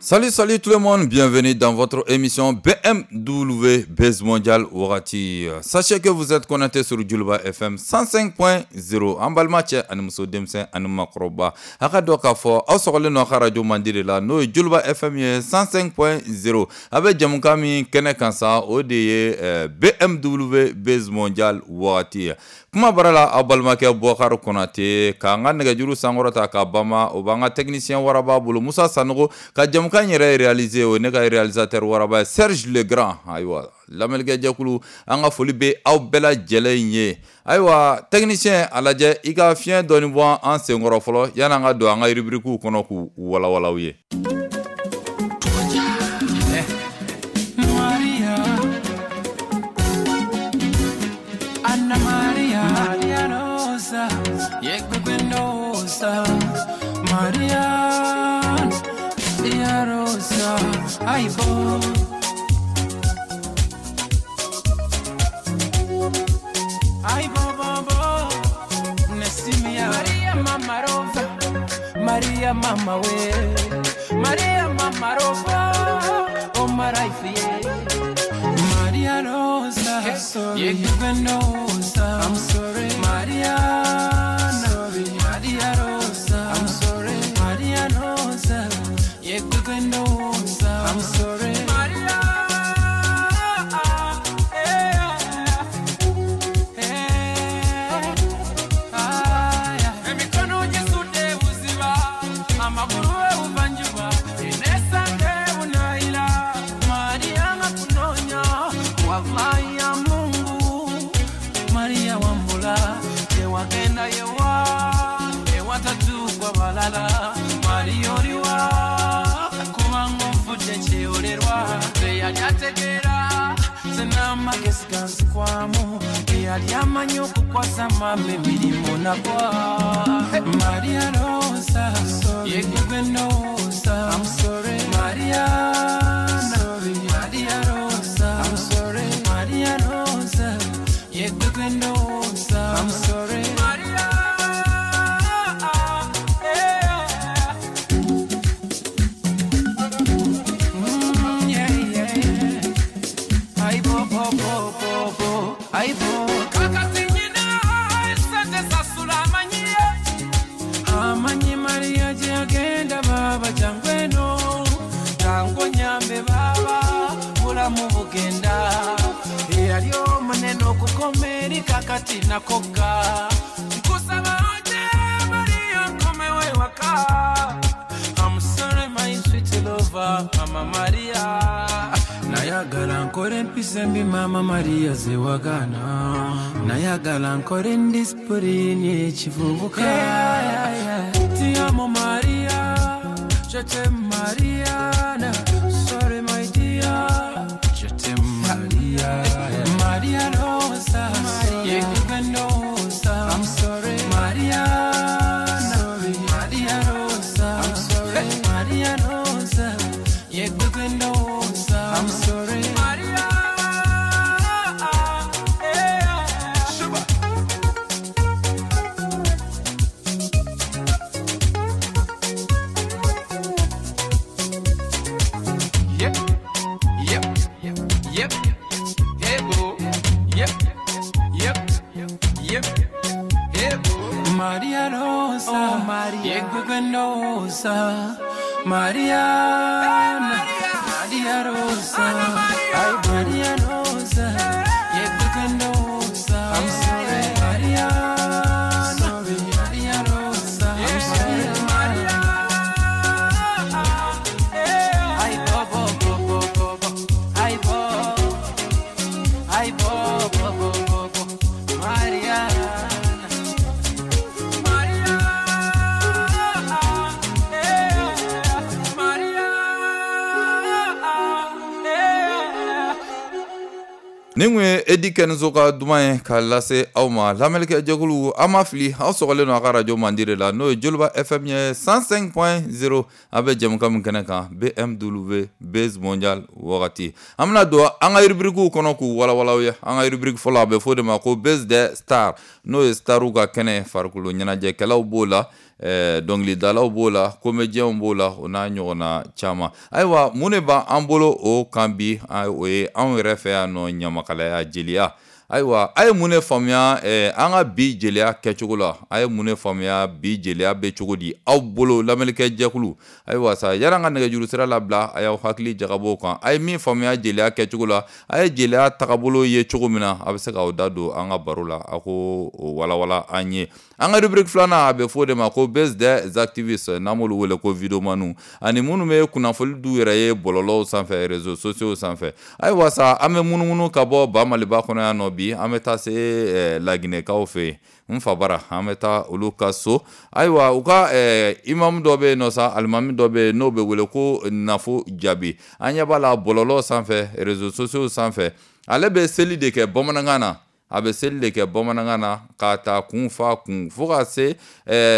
Salut, salut tout le monde, bienvenue dans votre émission BMW Buzz Mondial Wagati. Sachez que vous êtes connecté sur Djoliba FM 105.0. An balima cɛ ani muso, denmisɛn ani makɔrɔba, a ka dɔn k'a fɔ aw sɔgɔlen don aw ka radio mandi de la, n'o ye Djoliba FM ye 105.0. A bɛ jamukan min kɛnɛ kan sa, o de ye BMW Buzz Mondial Wagati ye. Kuma bara la, aw balimakɛ Bɔkari Konate k'an ka nɛgɛjuru sankɔrɔta ka bama, o b'an ka technicien waraba bolo Musa Sanogo, ka jamukan yɛrɛ réaliser, o ne ka réalisateur waraba Serge Legrand. Ayiwa, lamɛnnikɛ jɛkulu, an ka foli bɛ aw bɛɛ lajɛlen ye. Ayiwa, technicien, a lajɛ i ka fiɲɛ dɔɔni bɔ an senkɔrɔ fɔlɔ yan'an ka don an ka rubrique kɔnɔ k'u walawala aw ye. Maria, Anna Maria, Maria Rosa, Yekbekwenosa, Maria, Maria Rosa, Aibo. Aibo, bo, bo, Nesimia, Maria Mama Rosa, Maria Mama we, Maria Mama Rosa, oh my life, yeah. Maria Rosa, Yekbekwenosa, I'm sorry, Maria, sorry, Maria Rosa, I'm sorry, Maria Rosa, Yekbekwenosa, I'm sorry, Maria, eh, ah, yeah. Emikono jisude buziba, amaguru ubanjuba, inesande unaila, Maria ngakunonya, wallahi ya Mungu, Maria wambula, yewagenda yewa, ewatatu kwa balala, Maria oriwa, kubanga nfudde kyeyolerwa, teyali ategeera, senamagezi ganzikwamu, teyali amanyi okukwasa mama emirimu nagwa. Maria Rosa, yegwe ndowooza, I'm sorry, Maria, sorry, Maria Rosa, I'm sorry, Maria Rosa, yegwe ndowooza, I'm sorry, Maria, yeah. Yeah, yeah, yeah. Ai bo bo bo bo bo, ai bo. Kakati nyina sente sasula amanyi, amanyi Maria gye agenda baba jangu eno, jangu onyambe baba, bulamu bugenda. Eyali omunene okukoma eri kakati nakogga. Nkusaba oje Maria nkomewo ewaka. I'm sorry my sweet lover, Mama Maria. Nayagala nkore empisa embi Mama Maria zewagaana. Nayagala nkore endisipulini ekivubuka. Ti amo Maria, je t'aime Mariana. Sorry my dear, Je t'aime Maria. Maria Rosa, Yekwe ndowooza, I'm sorry, Maria, sorry, Maria Rosa, I'm sorry, Maria Rosa, Yekwe ndowooza, I'm sorry, Maria, yeah. Yep, yep, yep, hey boo, yep, yep, yep, hey boo. Maria Rosa, Oh, Maria. Yekwe ndowooza, Mariana, Maria Rosa, Maria. Ay Maria Rosa, Yekwe ndowooza, I'm sorry, Mariana, sorry, Maria Rosa, I'm sorry, Maria, yeah. Ay bo bo bo bo bo bo, ay bo, ay bo bo bo bo bo, Mariana. Maria, yeah. Maria, yeah. Nin kun ye Edi Kɛnɛso ka duman ye k'a lase aw ma. Lamɛnnikɛ jɛkulu, an ma fili, aw sɔgɔlen don a ka radio mandi de la, n'o ye Joliba FM ye 105.0. A bɛ jɛmukan min kɛnɛ kan, BMW Buzz Mondial wagati. An bɛna don an ka rubrique kɔnɔ k'u walawala aw ye. An ka rubrique fɔlɔ, a bɛ fɔ o de ma ko Buzz des Stars, n'o ye starw ka kɛnɛ. Farikolo ɲɛnajɛkɛlaw b'o la, dɔnkilidalaw b'o la, comédiens b'o la, o n'a ɲɔgɔnna caman. Ayiwa, mun de b'an bolo o kan bi? O ye anw yɛrɛ fɛ yan nɔ, ɲamakalaya, jeliya. Ayiwa, a ye mun de faamuya an ka bi jeliya kɛcogo la? A ye mun de faamuya bi jeliya bɛ cogo di aw bolo, lamɛnnikɛ jɛkulu? Ayiwa sa, yanni an ka nɛgɛjuru sira labila, a y'aw hakili jagabɔ o kan. A ye min faamuya jeliya kɛcogo la, a ye jeliya tagabolo ye cogo min na, a bɛ se k'aw da don an ka baro la, a ko o walawala an ye. An ka rubrique filanan, a bɛ fɔ o de ma ko Buzz des activistes, n'an b'olu wele ko videomaniw, ani minnu bɛ kunnafoni d'u yɛrɛ ye bɔlɔlɔw sanfɛ, réseaux sociaux sanfɛ. Ayiwa sa, an bɛ munumunu ka bɔ ba Maliba kɔnɔ yan nɔ bi, an bɛ taa se Laginɛkaw fɛ yen, n fa bara, an bɛ taa olu ka so. Ayiwa, u ka imamu dɔ bɛ yen nɔ sa, alimami dɔ bɛ yen n'o bɛ wele ko Nafo Jabi. An ɲɛ b'a la bɔlɔlɔ sanfɛ, réseaux sociaux sanfɛ, ale bɛ seli de kɛ bamanankan na. A bɛ seli de kɛ bamanankan na k'a ta kun fa kun fo ka se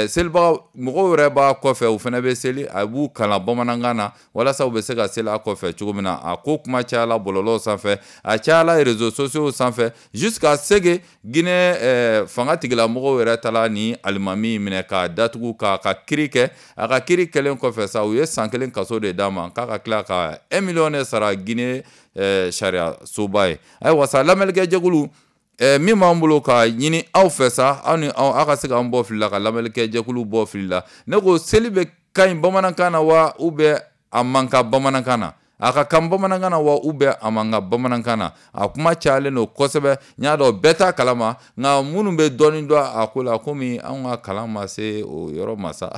selibaga mɔgɔw yɛrɛ b'a kɔfɛ, u fana bɛ seli, a b'u kalan bamanankan na walasa u bɛ se ka seli a kɔfɛ cogo min na. A ko kuma cayala bɔlɔlɔw sanfɛ, a cayala réseaux sociaux sanfɛ, jusqu'à ce que Guinée fanga tigilamɔgɔw yɛrɛ taara ni alimami minɛ k'a datugu k'a ka kiri kɛ. A ka kiri kɛlen kɔfɛ sa, u ye san 1 kaso de d'a ma, k'a ka tila ka 1 million de sara Guinée sariya soba ye. Ayiwa sa, lamɛnnikɛ jɛkulu, min b'an bolo ka ɲini aw fɛ sa, aw ni aw, aw ka se k'an bɔ fili la, ka lamɛnnikɛ jɛkulu bɔ fili la. Ne ko seli bɛ ka ɲi bamanankan na wa, ou bien a man kan bamanankan na? A ka kan bamanankan na wa, ou bien a man kan bamanankan na? A kuma cayalen don kosɛbɛ, n y'a dɔn bɛɛ t'a kalama, nka minnu bɛ dɔɔnin dɔn a ko la, komi anw ka kalan ma se o yɔrɔ ma sa,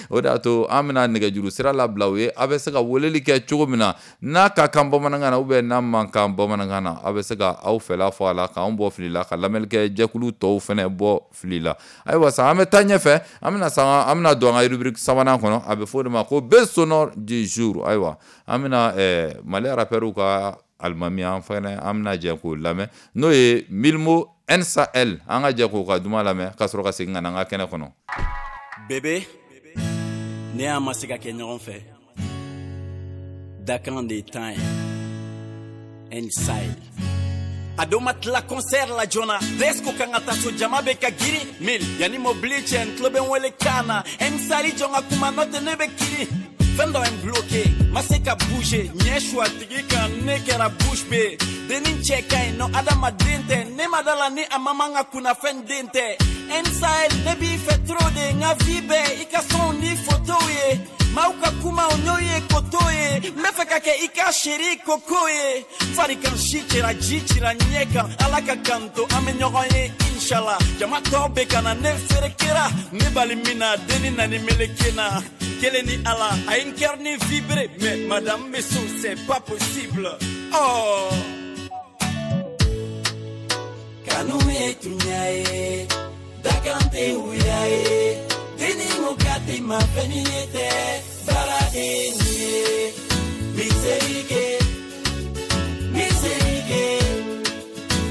o de y'a to an bɛna nɛgɛjuru sira labila u ye, a bɛ se ka weleli kɛ cogo min na, n'a ka kan bamanankan na ou bien n'a man kan bamanankan na, a bɛ se ka aw fɛla fɔ a la, k'anw bɔ fili la, ka lamɛnnikɛ jɛkulu tɔw fɛnɛ bɔ fili la. Ayiwa sa, an bɛ taa ɲɛfɛ, an bɛna sa, an bɛna don an ka rubrique sabanan kɔnɔ, a bɛ fɔ o de ma ko Buzz sonore du jour. Ayiwa, an bɛna Mali rappeurs ka alimami, an fɛnɛ an bɛna jɛ k'o lamɛn, n'o ye Milmo NSL. An ka jɛ k'o ka duman lamɛn ka sɔrɔ ka segin ka na an ka kɛnɛ kɔnɔ. Bébé, ne y'a ma se ka kɛ ɲɔgɔn fɛ, dakan de ye tan ye. N-Sahel a don ma tila concert la joona, Desco kan ka taa so, jama bɛ ka girin mil yanni mobili cɛ, n tulo bɛ n wele kan na. N-Sahel jɔn ka kuma, n'o tɛ ne bɛ kirin. Fɛn dɔ ye n bloqué, ma se ka bouger, ɲɛ su a tigi kan, ne kɛra bouche bée. Denni cɛ ka ɲi nɔ, adamaden tɛ, ne ma da la ni a ma man ka kunnafɛn den tɛ. N-Sahel, ne b'i fɛ trop de, n ka vie bɛɛ i ka sonw ni photos ye. Maaw ka kumaw n'o ye koto ye, n bɛ fɛ ka kɛ i ka chéri koko ye. Farikan si cɛra, ji cira ɲɛ kan, Ala ka kanto an bɛ ɲɔgɔn ye inshallah. Jama tɔw bɛ ka na ne ferekera, ne bali min na denni nani meleke na. Kelen ni Ala, a ye n cœur ni vibré, mais madame bɛ so, c'est pas possible. Oh. Kanu ye tunya ye, dakan tɛ wuya ye, denni ko k'a tɛ ma fɛn ni ye tɛ, baaraden ye. Miserike, miserike,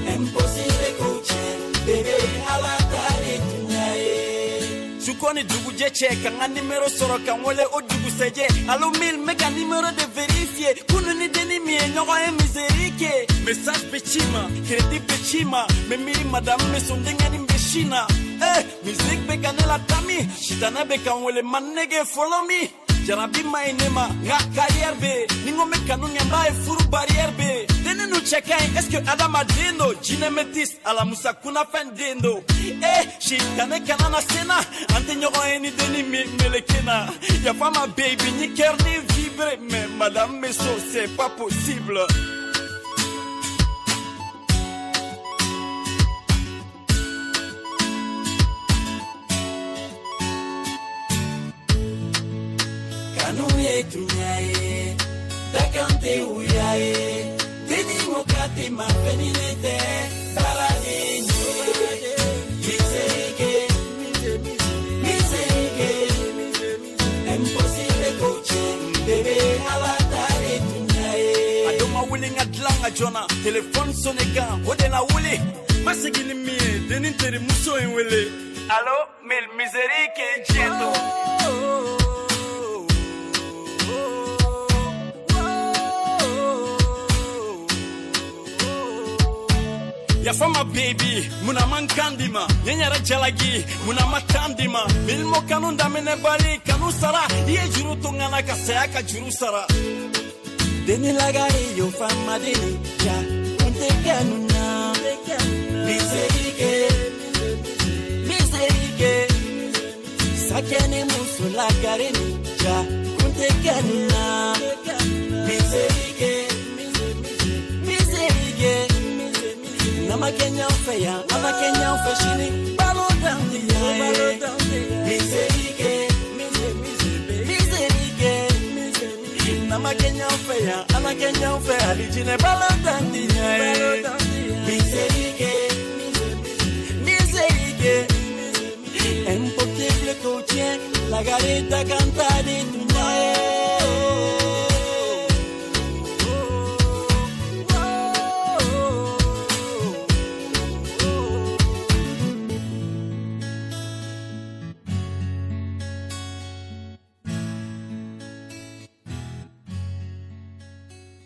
impossible k'o tiɲɛ, bébé Ala ta de tunya ye. Su ko ni dugujɛ cɛ, ka n ka nimero sɔrɔ ka n wele o dugusɛjɛ. Allo mille, n bɛ ka nimero de vérifier, kunu ni denni min ye ɲɔgɔn ye miserike. Message bɛ ci ma, crédit bɛ ci ma, n bɛ miiri madame bɛ sɔn denkɛnin bɛ sin na. Eh, musique bɛ ka ne latami, sitanɛ bɛ ka n wele ma nege follow me. Jarabi ma ɲi ne ma, n ka carrière bɛ yen, ni n ko n bɛ kanu kɛ, n b'a ye furu barrière bɛ yen. Denni nu cɛ ka ɲi, est ce que adamaden don? Jinɛ métis, Alamusa kunnafɛn den don. Eh, sitanɛ kana na se n na, an tɛ ɲɔgɔn ye ni denni min meleke na. Yafa ma baby, n ye cœur ni vibré, mais madame bɛ so, c'est pas possible. Kanu ye tunya ye, dakan tɛ wuya ye, denni ko k'a tɛ ma fɛn ni ne tɛ, baaraden ye. Miserike, miserike, impossible k'o tiɲɛ, bébé Ala ta de tunya ye. A don ma wuli n ka dilan ka joona telefɔni sonne kan o de la wuli ma segin ni min ye denni terimuso in wele allo mil miseri ke diɲɛ to. Yafa ma baby, muna man kan di ma n ye n yɛrɛ jalaki, muna ma tan di ma Milimo kanu daminɛ bali kanu sara i ye juru to n na ka saya ka juru sara Deni lagari yo fama deni ja kunte kanuna Miserike, miserike Sakene muso lagari ni ja kunte kanuna Miserike, miserike Nama Kenya feya, nama Kenya feshini, balo down the miserike, miserike. Nama Kenya feya, nama Kenya fe, alijine balo down the miserike, miserike. Impossible coaching, la garita canta de tu.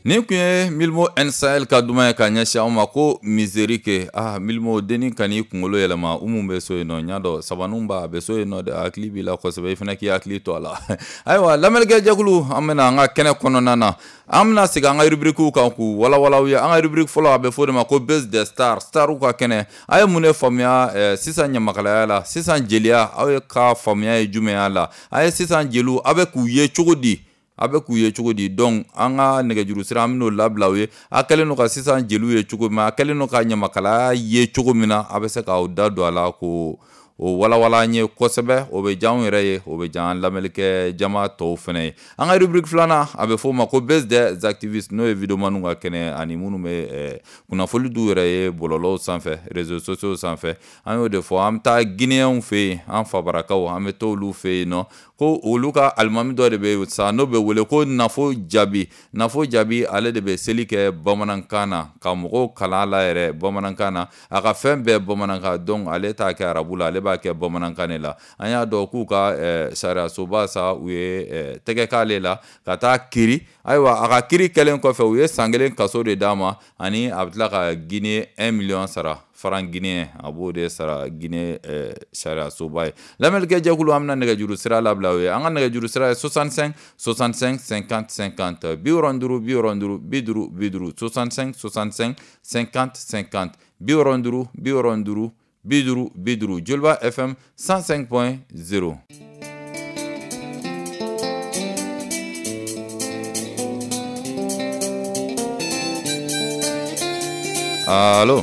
Nin tun ye Milmo N Sahel ka duman ye ka ɲɛsin anw ma ko miserike. Ah Milmo dennin kan'i kunkolo yɛlɛma u mun bɛ so yen nɔ n y'a dɔn sabaninw b'a bɛ so yen nɔ dɛ hakili b'i la kosɛbɛ i fana k'i hakili to a la. Ayiwa lamɛnnikɛ jɛkulu an bɛna an ka kɛnɛ kɔnɔna na an bɛna segin an ka rubrique kan k'u walawala aw ye. An ka rubrique fɔlɔ a bɛ fɔ o de ma ko Buzz des Stars, starw ka kɛnɛ. A ye mun de faamuya sisan ɲamakalaya la, sisan jeliya aw ye ka faamuya ye jumɛn y'a la, a ye sisan jeliw aw bɛ k'u ye cogo di? A bɛ k'u ye cogo di? Donc an ka nɛgɛjuru sira an bɛn'o labila u ye. A kɛlen don ka sisan jeliw ye cogo min, a kɛlen don ka ɲamakalaya ye cogo min na, a bɛ se k'aw da don a la k'o o walawala an ye kosɛbɛ. O bɛ diya anw yɛrɛ ye, o bɛ diya an lamɛnnikɛ jama tɔw fana ye. An ka rubrique filanan a bɛ fɔ o ma ko Buzz des activistes, n'o ye videomaniw ka kɛnɛ ani minnu bɛ kunnafoni d'u yɛrɛ ye bɔlɔlɔw sanfɛ, réseaux sociaux sanfɛ. An y'o de fɔ, an bɛ taa Guinéenw fɛ yen, an fabarakaw an bɛ t'olu fɛ yen nɔ ko olu ka alimami dɔ de bɛ sa n'o bɛ wele ko Nafo Jabi. Nafo Jabi ale de bɛ seli kɛ bamanankan na ka mɔgɔw kalan a la yɛrɛ bamanankan na, a ka fɛn bɛɛ bamanankan. Donc ale t'a kɛ arabu la, ale b'a kɛ bamanankan de la. An y'a dɔn k'u ka sariyasoba sa u ye tɛgɛ k'ale la ka taa kiri. Ayiwa a ka kiri kɛlen kɔfɛ u ye san kelen kaso de d'a ma ani a bɛ tila ka Guinée 1 million sara, franc guinéen a b'o de sara Guinée sariyasoba ye. Lamɛnnikɛ jɛkulu an bɛna nɛgɛjuru sira labila o ye. An ka nɛgɛjuru sira ye 65 65 50 50 65 65 50 65 65 50 50 65 65 50 50. Joliba FM 105.0. Allo.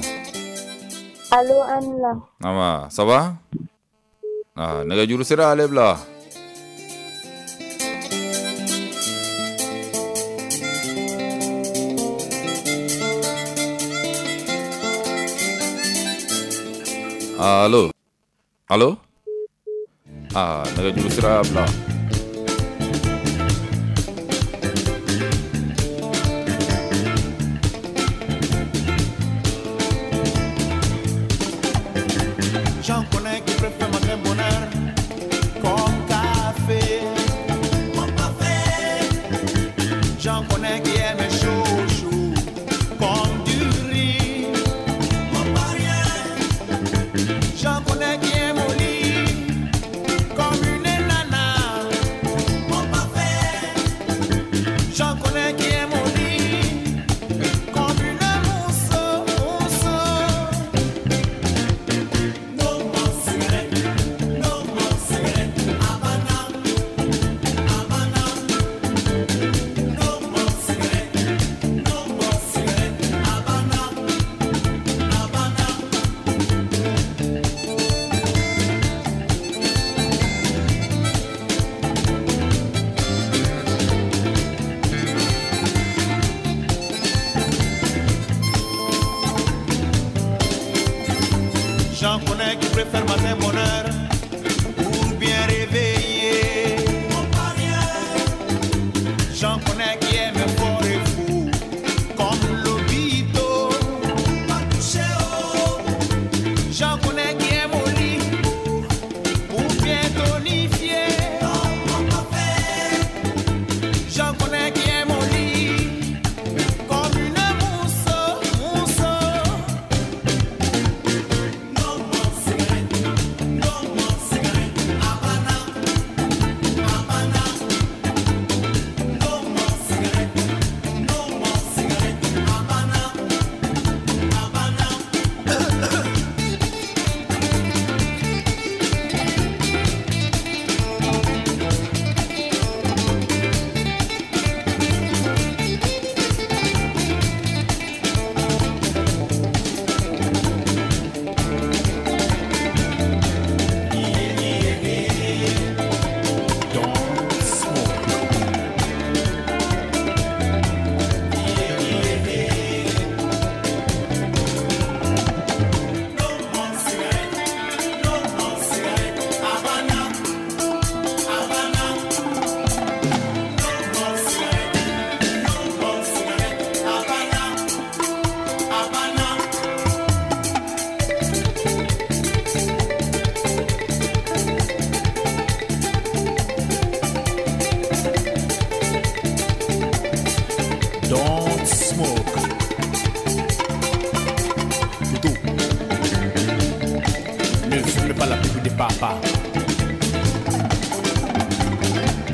Allo Anna. Ama, ça va? Ah, nɛgɛjuru sira ale bila. Allo. Allo. Ah, nɛgɛjuru sira y'a bila. J'en connais qui préfèrent matin bonheur comme café. Mon café. J'en connais qui aiment chaud, chaud comme du riz. Mon rien. J'en connais qui aiment au lit comme une nana. smoke. Toutou, ne fume pas la pipe de papa.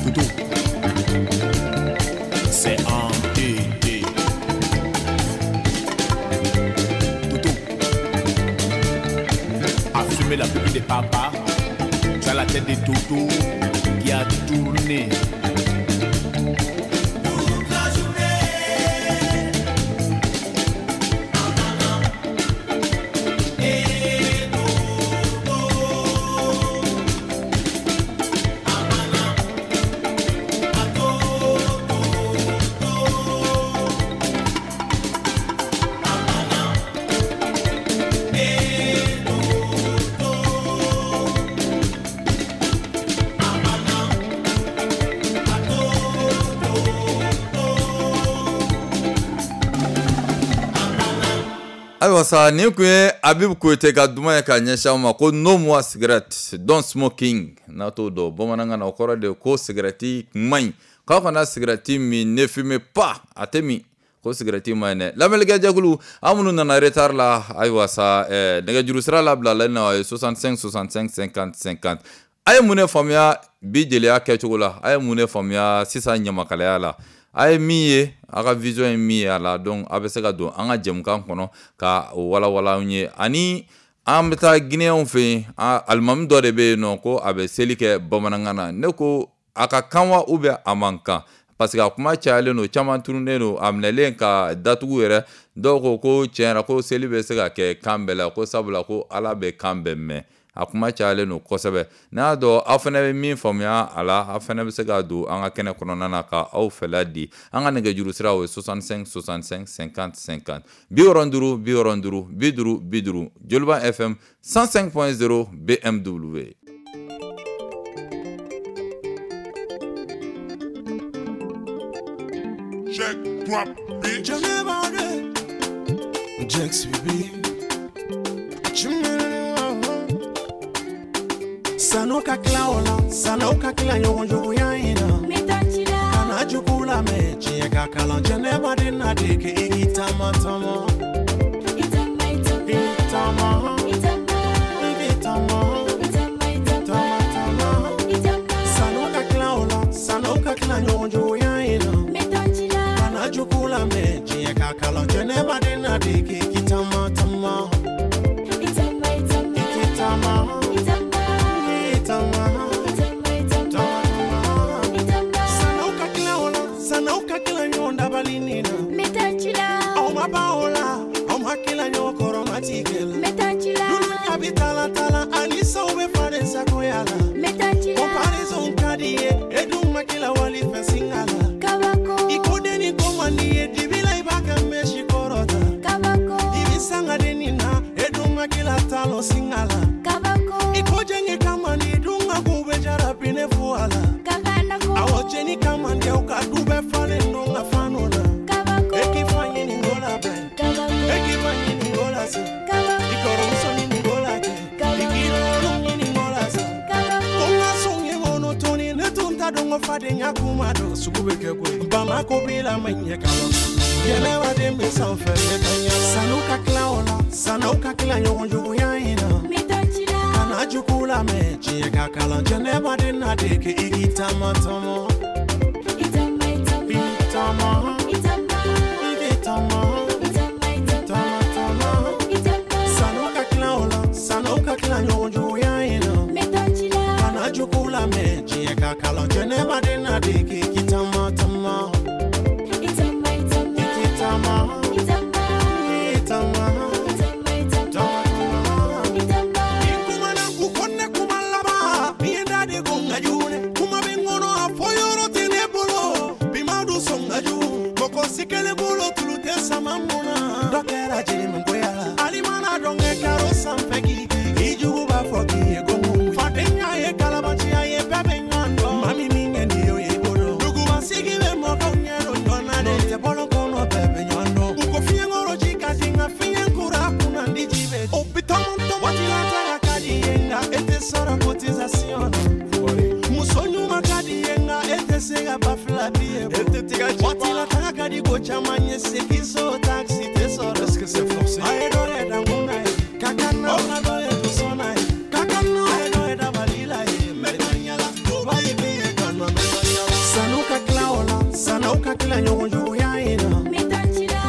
Toutou, c'est un TT. Toutou, a fumé la pipe de papa. Tu as la tête de toutou qui a tourné. Ayiwa sa, nin kun ye Abibu Koyite ka duman ye ka ɲɛsin aw ma ko "No more cigarette, don't smoking". N'a t'o dɔn bamanankan na, o kɔrɔ de ko sigɛrɛti man ɲi, k'aw kana sigɛrɛti min, ne fumez pas, a tɛ min, ko sigɛrɛti man ɲi dɛ. Lamɛnnikɛ jɛkulu, an minnu nana retard la, ayiwa sa, nɛgɛjuru sira labilalen na, o ye 65 65 50 50. A ye mun de faamuya bi jeliya kɛcogo la? A ye mun de faamuya sisan ɲamakalaya la? A ye min ye, a ka vision ye min ye a la? Donc a bɛ se ka don an ka jɛmukan kɔnɔ ka o walawala an ye. Ani an bɛ taa Guinéenw fɛ yen, alimami dɔ de bɛ yen nɔ ko a bɛ seli kɛ bamanankan na. Ne ko a ka kan wa ou bien a man kan? Parce que a kuma cayalen don, caman tununnen don, a minɛlen ka datugu yɛrɛ. Dɔw ko ko tiɲɛ yɛrɛ ko seli bɛ se ka kɛ kan bɛɛ la, ko sabula ko Ala bɛ kan bɛɛ mɛn. A kuma cayalen don kosɛbɛ. N'a y'a dɔn aw fana bɛ min faamuya a la, aw fana bɛ se ka don an ka kɛnɛ kɔnɔna na ka aw fɛla di. An ka nɛgɛjuru sira, o ye 65 65 50 50, 65 65 50 50. Joliba FM 105.0, BMW. Check, drop, bitch. Jax baby. Sanu ka tila o la, sanu ka tila ɲɔgɔn juguya in na. Kana jugu lamɛn, tiɲɛ ka kalan jɛnɛba de na de kɛ i k'i taama taama. I taama, i k'i taama, taama taama. Sanu ka tila o la, sanu ka tila ɲɔgɔn juguya in na. Kana jugu lamɛn, tiɲɛ ka kalan jɛnɛba de na de kɛ i k'i taama taama. I k'i taama. Bamako b'i la ma ɲɛ ka yɛlɛwa den bɛ sanfɛ. Sanu ka tila o la, sanu ka tila ɲɔgɔn juguya in na. Kana jugu lamɛn, tiɲɛ ka kalan jɛnɛba de na de kɛ i k'i taama taama. I taama, i k'i taama, taama taama. Sanu ka tila o la, sanu ka tila ɲɔgɔn juguya in na. Kana jugu lamɛn, tiɲɛ ka kalan jɛnɛba de na de kɛ i k'i taama taama. la bi ye waati la taga ka di ko caman ye segin so taxi tɛ sɔrɔ. Est-ce que c'est forcé? A ye dɔ yɛ dankun na ye ka kan na ka dɔ yɛ dusɔn na ye ka kan na a ye dɔ yɛ dabali la ye n bɛ taa ɲala o b'a ye min ye ka na n bɛ taa ɲala. Sanu ka tila o la sanaw ka tila ɲɔgɔn juguya in na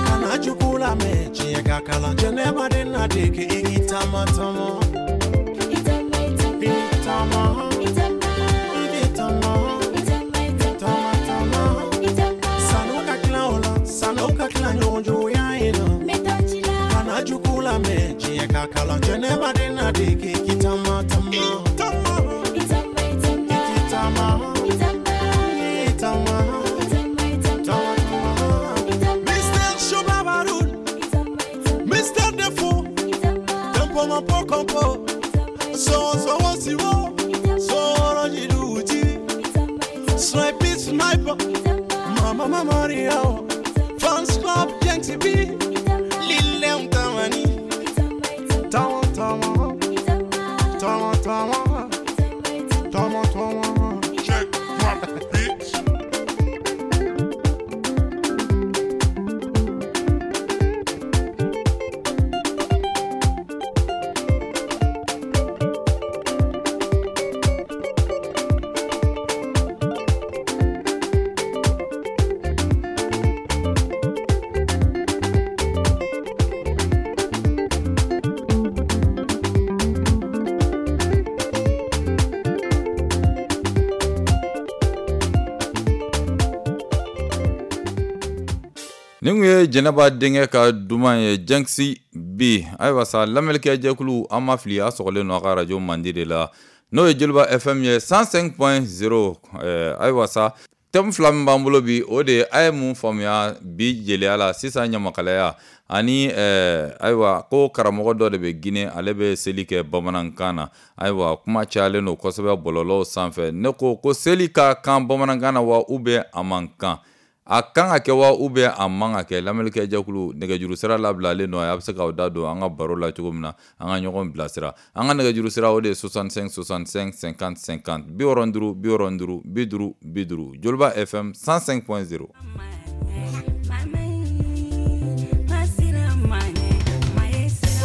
kana jugu lamɛn tiɲɛ ka kalan jɛnɛba de na dege i k'i taama taama. I taama i taama taama taama. Sanu ka tila o la sanaw ka tila ɲɔgɔn juguya in na kana jugu lamɛn tiɲɛ ka kalan jɛnɛba de na dege i k'i taama taama. I taama i taama taama taama. Mr. Chobabaroun, Mr. Defo, Tempo Mampo Compo, So So Siwo, So Rojiluti, Snipe Sniper, Mama Maria, Fans Club Yancy B, Lil Tamani, Tawa Tawa, Tawa Tawa, Tawa Tawa. Check, drop, bitch. Nin kun ye Jɛnɛba denkɛ ka duman ye Jɛnkisi B. Ayiwa sa lamɛnnikɛ jɛkulu an ma fili a sɔgɔlen don a ka radio mandi de la n'o ye Joliba FM ye 105.0. Ayiwa sa thème fila min b'an bolo bi o de ye a ye mun faamuya bi jeliya la sisan ɲamakalaya ani ayiwa ko karamɔgɔ dɔ de bɛ Guinée ale bɛ seli kɛ bamanankan na. Ayiwa kuma cayalen don kosɛbɛ bɔlɔlɔw sanfɛ. Ne ko seli ka kan bamanankan na wa ou bien a man kan? A kan ka kɛ wa ou bien a man ka kɛ? Lamɛnnikɛ jɛkulu nɛgɛjuru sira labilalen don a bɛ se k'aw da don an ka baro la cogo min na an ka ɲɔgɔn bilasira. An ka nɛgɛjuru sira o de ye 65 65 50 50 65 65 50 50 Joliba FM 105.0.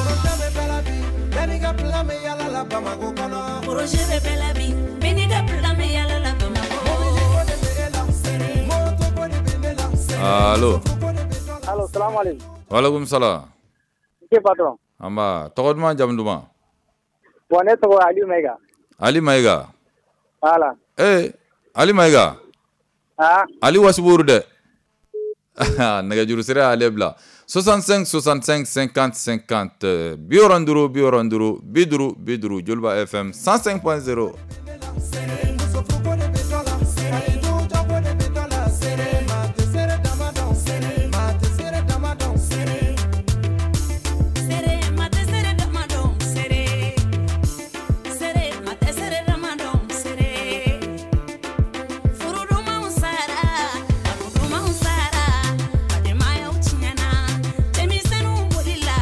Projet bɛ bɛɛ la bi, bɛɛ n'i ka plan bɛ yala la Bamakɔ kɔnɔ. Projet bɛ bɛɛ la bi, bɛɛ n'i ka plan bɛ yala la Bamakɔ. Mobili ko de bɛ e la, moto ko de bɛ ne la. Allo. Allo, salam alaikum. Waaleykum salam. Monsieur patron. Anba tɔgɔ duman jamu duman? Bon, ne tɔgɔ Aliou Maïga. Ali Maïga. Voilà. Ali Maïga. Ah. Ali Wasiburu dɛ. Nɛgɛjuru sira y'ale bila 65 65 50 50 65 65 50 50 Joliba FM 105.0. Muso furuko de bɛ dɔ la, ani dujako de bɛ dɔ la. Maa tɛ seere dama dɔn, maa tɛ seere dama dɔn. Sere ma tɛ sere dama dɔn sere. Sere ma tɛ sere dama dɔn sere. Furu dumanw sara, kanu dumanw sara, badenmayaw tiɲɛna, denmisɛnninw bolila,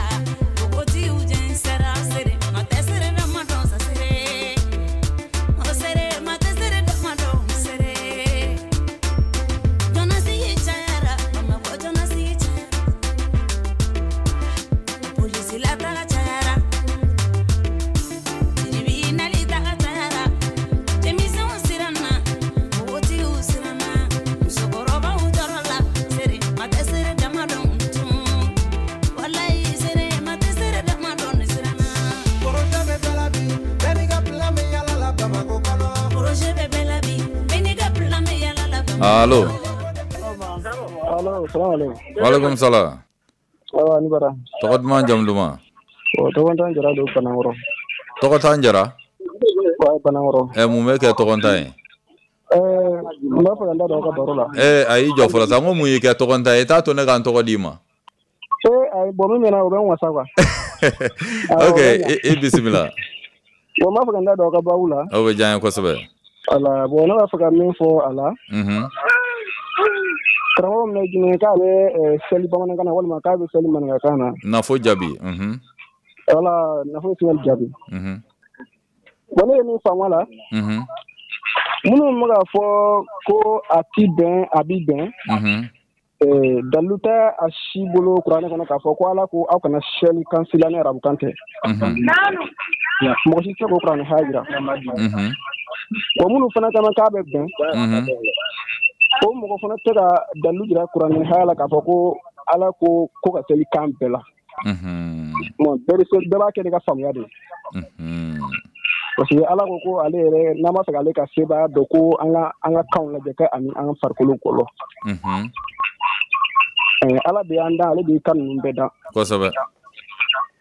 npogotigiw jɛnsɛra. Sere ma tɛ sere dama dɔn sa sere. O sere ma tɛ sere dama dɔn sere. Jɔnasigi cayara, Bamakɔ jɔnasigi cayara. Polisi la taga cayara, tribunal taga cayara, denmisɛnw siranna, npogotigiw siranna, musokɔrɔbaw jɔrɔla. Sere ma tɛ sere dama dɔn tun, walayi sere ma tɛ sere dama dɔn ne siranna. Projet bɛ bɛɛ la bi, bɛɛ n'i ka plan bɛ yala la Bamakɔ kɔnɔ. Projet bɛ bɛɛ la bi, bɛɛ n'i ka plan bɛ yala la Bamakɔ. Allo. Allo, salam alaikum. Waaleykum salam. Awa ni bara. Tɔgɔ duman jamu duman? O tɔgɔ jara don Banankɔrɔ. Tɔgɔ t'an jara? Wa Banankɔrɔ. Mun bɛ kɛ tɔgɔntan ye? N b'a fɛ ka n da don aw ka baro la. A y'i jɔ fɔlɔ sa n ko mun y'i kɛ tɔgɔntan ye? I t'a to ne ka n tɔgɔ d'i ma. Ayi bon min mɛna o bɛ n wasa quoi. Awɔ, Ok, o bɛ ɲa. i bisimila. Bon n b'a fɛ ka n da don aw ka baabu la. O bɛ diya n ye kosɛbɛ. Wala bon ne b'a fɛ ka min fɔ a la. Karamɔgɔ min bɛ Guinée k'a bɛ seli bamanankan na walima k'a bɛ seli maninkakan na. Nafo jaabi. Wala nafo seli jaabi. Bon ne ye min faamu a la. Minnu bɛ k'a fɔ ko a ti bɛn, a bi bɛn, dalu tɛ a si bolo kuranɛ kɔnɔ k'a fɔ ko Ala ko aw kana seli kan si la ni arabukan tɛ. Mɔgɔ si tɛ se k'o kuranɛ haya jira. Bon, minnu fana caman k'a bɛ bɛn, o mɔgɔ fana tɛ ka dalu jira kuranɛ haya la k'a fɔ ko Ala ko ko ka seli kan bɛɛ la. Bon, bɛɛ b'a kɛ n'i ka faamuya de ye. Parce que Ala ko ko ale yɛrɛ, n'an b'a fɛ k'ale ka sebaaya dɔn, ko an ka kanw lajɛ kɛ ani an ka farikolo gɔlɔ. Ala de y'an dan, ale de ye kan ninnu bɛɛ dan. Kosɛbɛ.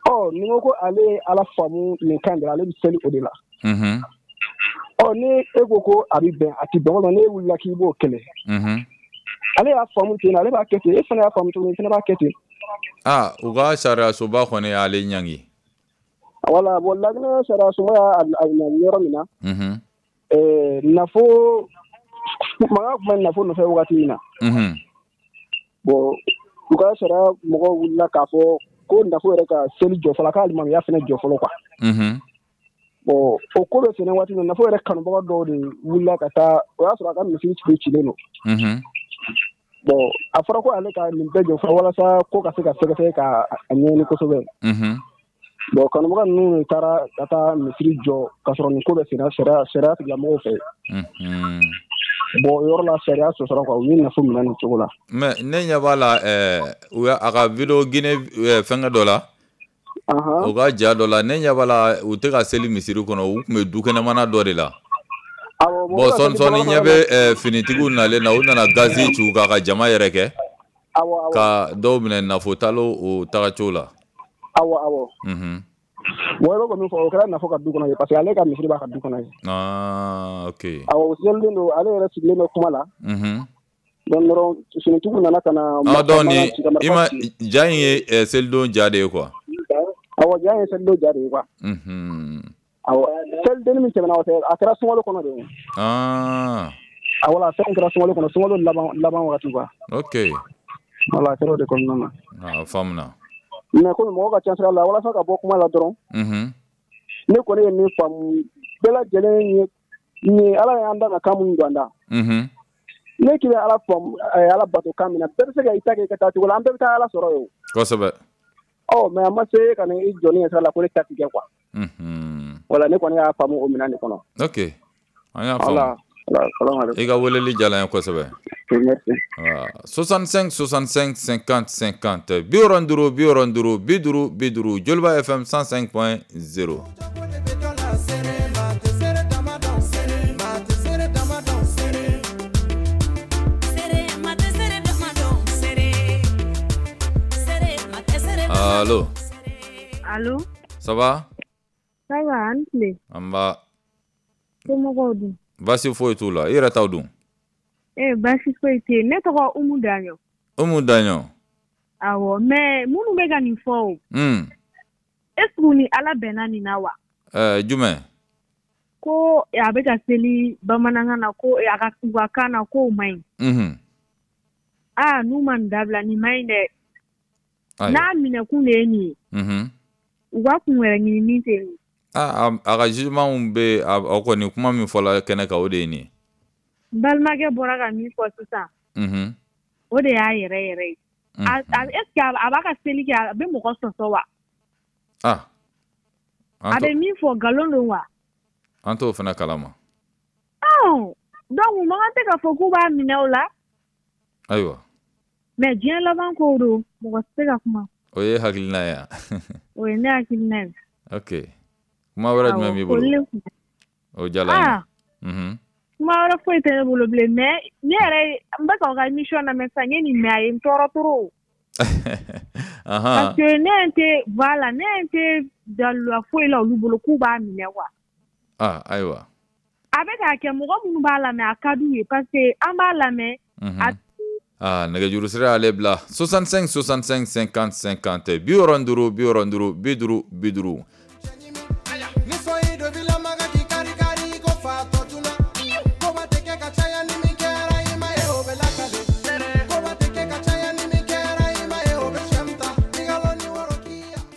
Ɔ, ni ko ko ale ye Ala faamu nin kan de la, ale bɛ seli o de la. Ɔ, ni e ko ko a bɛ bɛn, a tɛ bɛn, walima n'e wulila k'i b'o kɛlɛ. Ale y'a faamu ten, ale b'a kɛ ten, e fana y'a faamu cogo min, i fana b'a kɛ ten. Aa, u ka sariyasoba kɔni y'ale ɲangi. Wala, bon, Laginɛ sariyasoba y'a ɲangi yɔrɔ min na, nafo mankan tun bɛ nafo nɔfɛ wagati min na. Bon, u ka sariya mɔgɔw wulila k'a fɔ ko nafo yɛrɛ ka seli jɔ fɔlɔ, k'ale alimamiya fana jɔ fɔlɔ quoi. Bon, o ko bɛ senna waati min na, nafo yɛrɛ kanubaga dɔw de wulila ka taa, o y'a sɔrɔ a ka misiri tun cilen don. Bon, a fɔra ko ale ka nin bɛɛ jɔ fɔlɔ walasa ko ka se ka sɛgɛsɛgɛ ka a ɲɛɲini kosɛbɛ. Bon, kanubaga ninnu de taara ka taa misiri jɔ ka sɔrɔ nin ko bɛ senna sariya tigilamɔgɔw fɛ. Bon, o yɔrɔ la sariya sɔsɔra quoi, u ye nafo minɛ nin cogo la. Mais ne ɲɛ b'a la, u a ka vidéo Guinée fɛnkɛ dɔ la. U ka ja dɔ la, ne ɲɛ b'a la, u tɛ ka seli misiri kɔnɔ, u tun bɛ dukɛnɛmana dɔ de la. Bon, sɔɔni sɔɔni ɲɛ bɛ finitigiw nalen na, u nana gazi ci u kan ka jama yɛrɛ kɛ. Ka dɔw minɛ nafo talo o tagacogo la. Awɔ, awɔ. Bon, i bɛ min fɔ, o kɛra nafo ka du kɔnɔ ye, parce que ale ka misiri b'a ka du kɔnɔ ye. Ah, ok. Awɔ, o selilen don, ale yɛrɛ sigilen bɛ kuma la. Donc dɔrɔn finitigiw nana ka na. Ah, donc ni i ma ja in ye selidon ja de ye quoi. Awɔ, ja in ye selidon ja de ye quoi. Awɔ, selidenni min tɛmɛna, o tɛ, a kɛra sunkalo kɔnɔ de ye. Ah. Awɔ, fɛn kɛra sunkalo kɔnɔ, sunkalo laban wagati quoi. Ok. Voilà, a kɛra o de kɔnɔna na. Ah, faamuna. Mais komi mɔgɔ ka ca sira la, walasa ka bɔ kuma la dɔrɔn, ne kɔni ye min faamu, bɛɛ lajɛlen ye ni Ala y'an da ka kan minnu don an da. Ne k'i bɛ Ala faamu, Ala bato kan min na, bɛɛ bɛ se ka i ta kɛ i ka taa cogo la, an bɛɛ bɛ taa Ala sɔrɔ yen. Kosɛbɛ. Ɔ, mais a ma se ka na i jɔ ni sira la ko ne ta ti kɛ quoi. Voilà, ne kɔni y'a faamu o minɛn de kɔnɔ. Ok, an y'a faamu. I ka weleli diyara n ye kosɛbɛ. Merci. 65 65 50 50, 65 65 50 50, Joliba FM 105.0. Allo. Allo. Ça va? Ça va, an tile. An ba. Somɔgɔw dun? Baasi foyi t'u la, i yɛrɛ t'aw dun? Baasi foyi tɛ yen. Ne tɔgɔ Umu Daɲɔ. Umu Daɲɔ. Awɔ, mais minnu bɛ ka nin fɔ o. Est ce que u ni Ala bɛnna nin na wa? Jumɛn? Ko a bɛ ka seli bamanankan na, ko a ka u ka kan na, k'o man ɲi. Aa, n'u ma nin dabila, nin man ɲi dɛ. N'a minɛkun de ye nin ye. U ka kun wɛrɛ ɲini min tɛ nin ye. A ka jugement bɛ a kɔni, kuma min fɔla kɛnɛ kan, o de ye nin ye. N balimakɛ bɔra ka min fɔ sisan. O de y'a yɛrɛ yɛrɛ ye. Est ce que a b'a ka seli kɛ, a bɛ mɔgɔ sɔsɔ wa? Ah. A bɛ min fɔ, nkalon don wa? An t'o fana kalama. Donc u man kan tɛ k'a fɔ k'u b'a minɛ o la. Ayiwa. Mais diɲɛ laban ko don, mɔgɔ tɛ se ka kuma. O ye hakilina ye wa? O ye ne hakilina ye. Ok. Kuma wɛrɛ jumɛn b'i bolo? O diyara n ye. Kuma wɛrɛ foyi tɛ ne bolo bilen, mais ne yɛrɛ n bɛ k'aw ka émission lamɛn sisan, n ye nin mɛn, a ye n tɔɔrɔ trop. Parce que ne tɛ, voilà, ne tɛ daluya foyi la olu bolo k'u b'a minɛ quoi. Ah, ayiwa. A bɛ k'a kɛ, mɔgɔ minnu b'a lamɛn, a ka d'u ye parce que an b'a lamɛn. Ah, nɛgɛjuru sira y'ale bila 65 65 50 50, 65 65 50 50.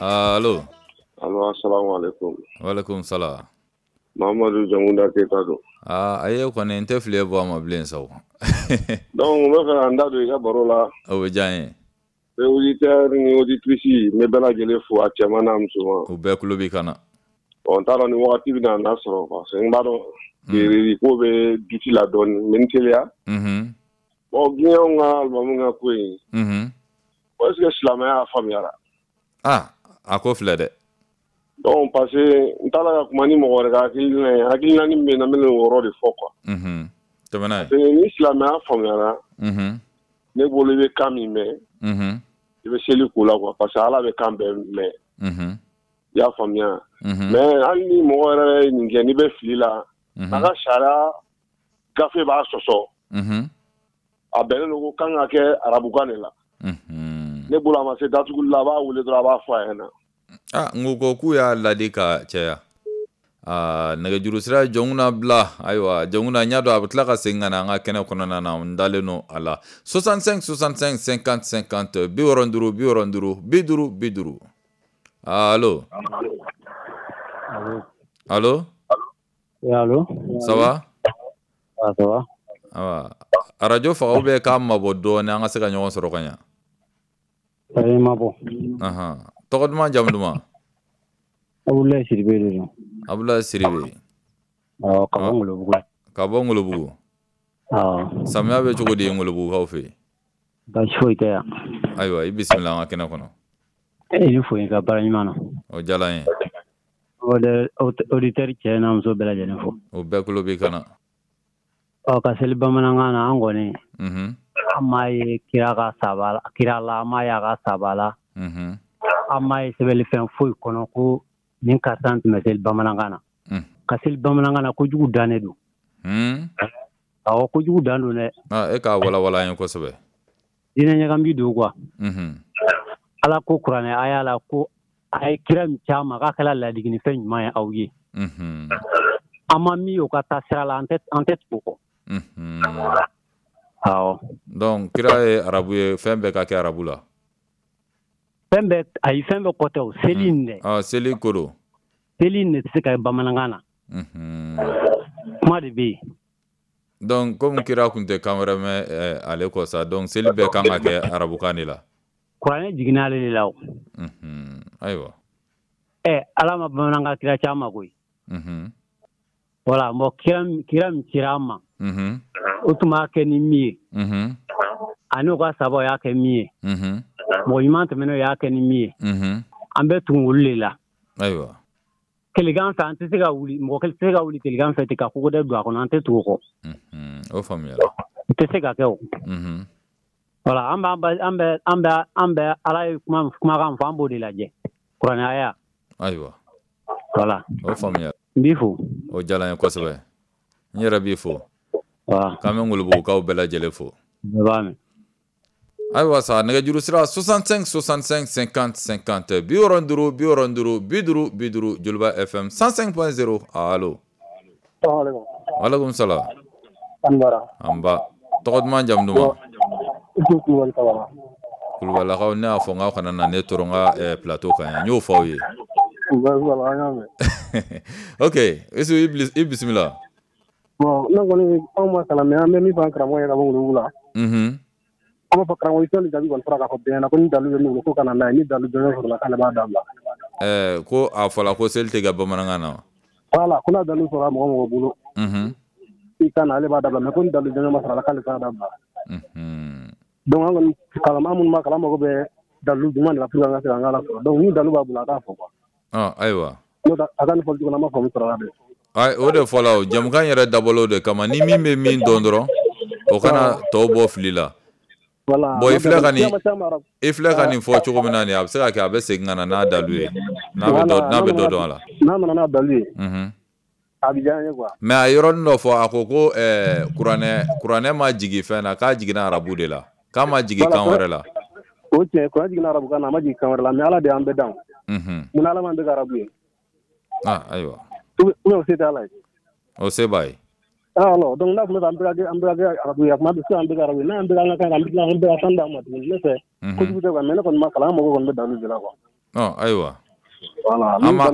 Allo. Allo, assalamu alaikum. Wa alaikum salam. Mamadu Jamunda Keita don. Aa, ayi, e kɔni n tɛ fili e bɔ a ma bilen sa o. Donc n bɛ fɛ ka n da don i ka baro la. O bɛ diya n ye. N bɛ auditeur ni auditrice n bɛ bɛɛ lajɛlen fo, a cɛman n'a musoman. U bɛɛ tulo b'i kan na. Bon, n t'a dɔn ni wagati bɛna na sɔrɔ parce que n b'a dɔn ko bɛ duti la dɔɔnin, n bɛ n teliya. Bon, Guinéenw ka alimami ka ko in. Bon, est ce que silamɛya y'a faamuyara? Ah, a ko filɛ dɛ. Donc parce que n t'a la ka kuma ni mɔgɔ wɛrɛ ka hakilina ye, hakilina min bɛ yen, n bɛna o yɔrɔ de fɔ quoi. Tɛmɛ n'a ye. Parce que ni silamɛya faamuyara, ne bolo i bɛ kan min mɛn, i bɛ seli k'o la quoi, parce que Ala bɛ kan bɛɛ mɛn. I y'a faamuya? Mais hali ni mɔgɔ yɛrɛ ye nin kɛ, n'i bɛ fili la, a ka sariya gafe b'a sɔsɔ. A bɛnnen don ko kan ka kɛ arabukan de la. Ne bolo a ma se datuguli la, a b'a wele dɔrɔn, a b'a fɔ a ɲɛna. Ah, n ko k'u y'a ladi ka caya. Aa, nɛgɛjuru sira Jɔnkuna bila. Ayiwa, Jɔnkuna, n y'a dɔn a bɛ tila ka segin ka na an ka kɛnɛ kɔnɔna na, n dalen don a la. 65 65 50 50, 65 65 50 50. Allo? Allo? Allo? Ça va? Ah, ça va. Awa, arajo faga ou bien k'a mabɔ dɔɔnin an ka se ka ɲɔgɔn sɔrɔ ka ɲa. Ayi, ma bɔ. Ahan. Tɔgɔ duman, jamu duman? Abdoulaye Sidibe de don. Abdoulaye Sidibe. Awɔ, ka bɔ Ngolobugu. Ka bɔ Ngolobugu. Awɔ. Samiya bɛ cogo di Ngolobugukaw fɛ yen? Baasi foyi tɛ yan. Ayiwa, i bisimila an ka kɛnɛ kɔnɔ. E ni fo i ka baara ɲuman na. O diyara n ye. Auditeur cɛ n'a muso bɛɛ lajɛlen fo. O bɛɛ tulo b'i kan na. Ɔ, ka seli bamanankan na, an kɔni, an m'a ye kira ka saba kira la, an m'a ye a ka saba la. An m'a ye sɛbɛnlifɛn foyi kɔnɔ ko nin karisa tun bɛ seli bamanankan na. Ka seli bamanankan na, kojugu dannen don. Awɔ, kojugu dan don dɛ. E k'a walawala an ye kosɛbɛ. Diinɛ ɲagami don quoi. Ala ko kuranɛ aya la ko a ye kira min ci a ma k'a kɛla ladiginifɛn ɲuman ye aw ye. An ma min o ka taa sira la, an tɛ tugu o kɔ. Awɔ. Donc kira ye arabu ye, fɛn bɛɛ ka kɛ arabu la. Fɛn bɛɛ, ayi, fɛn bɛɛ kɔ tɛ o, seli in dɛ. Ah, seli ko don. Seli in de tɛ se ka kɛ bamanankan na. Kuma de bɛ yen. Donc comme kira tun tɛ kan wɛrɛ mɛn ale kɔ sa, donc seli bɛɛ kan ka kɛ arabukan de la. Kuranɛ jiginna ale de la o. Ayiwa. Ɛ, Ala ma bamanankan kira ci an ma koyi. Voilà, bon, kira min cira an ma, o tun b'a kɛ ni min ye, ani o ka sabaw y'a kɛ min ye, mɔgɔ ɲuman tɛmɛnenw y'a kɛ ni min ye, an bɛ tugu olu de la. Ayiwa. Tilegan fɛ an tɛ se ka wuli, mɔgɔ kelen tɛ se ka wuli tilegan fɛ ten ka kogo dɛ don a kɔnɔ, an tɛ tugu o kɔ. O faamuyara. O tɛ se ka kɛ o. Voilà, an bɛ Ala ye kumakan fɔ, an b'o de lajɛ. Kuranɛ aya. Ayiwa. Voilà. O faamuyara. N b'i fo. O diyara n ye kosɛbɛ. N yɛrɛ b'i fo. K'an bɛ Ngolobugukaw bɛɛ lajɛlen fo. Bɛɛ b'a mɛn. Ayiwa sa, nɛgɛjuru sira 65 65 50 50, 65 65 50 50, Joliba FM 105.0. Allo? Walekum salam. An ba. Tɔgɔ duman, jamu duman? Kulubalakaw, ne y'a fɔ n k'aw kana na ne tɔɔrɔ n ka plateau kan yan, n y'o fɔ aw ye. Ok, Isu, i bisimila. Bon, ne kɔni, anw ma kalan, mais an bɛ min fɔ an karamɔgɔ ye ka bɔ Ngolobugu la. An b'a fɔ karamɔgɔ i jaabi kɔni fɔra k'a fɔ bɛɛ ɲɛna ko ni dalu bɛ min bolo ko ka na n'a ye, ni dalu jɔnjɔn sɔrɔla k'ale b'a dabila. Ko a fɔla ko seli tɛ kɛ bamanankan na wa? Voilà, ko n'a dalu sɔrɔla mɔgɔ mɔgɔ bolo, i ka na, ale b'a dabila, mais ko ni dalu jɔnjɔn ma sɔrɔ a la k'ale t'a dabila. Donc an kɔni kalan minnu ma kalan mago bɛ dalu jumɛn de la pour que an ka se k'an ka ala sɔrɔ. Donc ni dalu b'a bolo, a k'a fɔ quoi. Ayiwa. N'o tɛ a ka nin fɔli cogo la, an ma faamu sɔrɔ a la dɛ. Ayi, o de fɔla o, jamukan yɛrɛ dabɔla o de kama, ni min bɛ min dɔn dɔrɔn, o kana tɔw bɔ fili la. Bon, i filɛ ka nin fɔ cogo min na nin, a bɛ se ka kɛ a bɛ segin ka na n'a dalu ye, n'a bɛ dɔ dɔn a la. N'a nana n'a dalu ye, a bɛ diya an ye quoi. Mais a yɔrɔnin dɔ fɔ, a ko ko kuranɛ ma jigin fɛn na, k'a jiginna arabu de la, k'a ma jigin kan wɛrɛ la. O tiɲɛ, kuranɛ jiginna arabu kan na, a ma jigin kan wɛrɛ la, mais Ala de y'an bɛɛ dan. Munna Ala m'an bɛɛ kɛ arabu ye? Ah, ayiwa. Ou bien o se tɛ Ala ye? O se b'a ye. Alors, donc n'a tun bɛ fɛ an bɛɛ ka kɛ arabu ye, a tun bɛ se an bɛɛ kɛ arabu ye, n'an bɛɛ an ka kan, an bɛ tila an bɛɛ ka kan d'a ma tuguni, ne fɛ kojugu tɛ quoi, mais ne kɔni ma kalan, an mago kɔni bɛ dalu de la quoi. Ayiwa. Voilà, an b'a